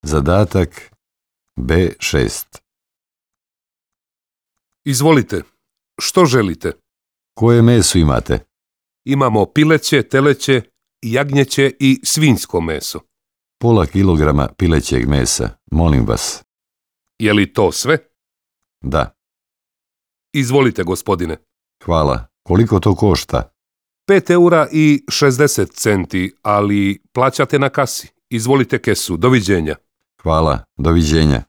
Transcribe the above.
Zadatak B6. Izvolite, što želite? Koje meso imate? Imamo pileće, teleće, jagnjeće i svinjsko meso. Pola kilograma pilećeg mesa, molim vas. Je li to sve? Da, Izvolite, gospodine. hvala. Koliko to košta? 5,60 €, ali plaćate na kasi. Izvolite kesu, doviđenja. Hvala, doviđenja.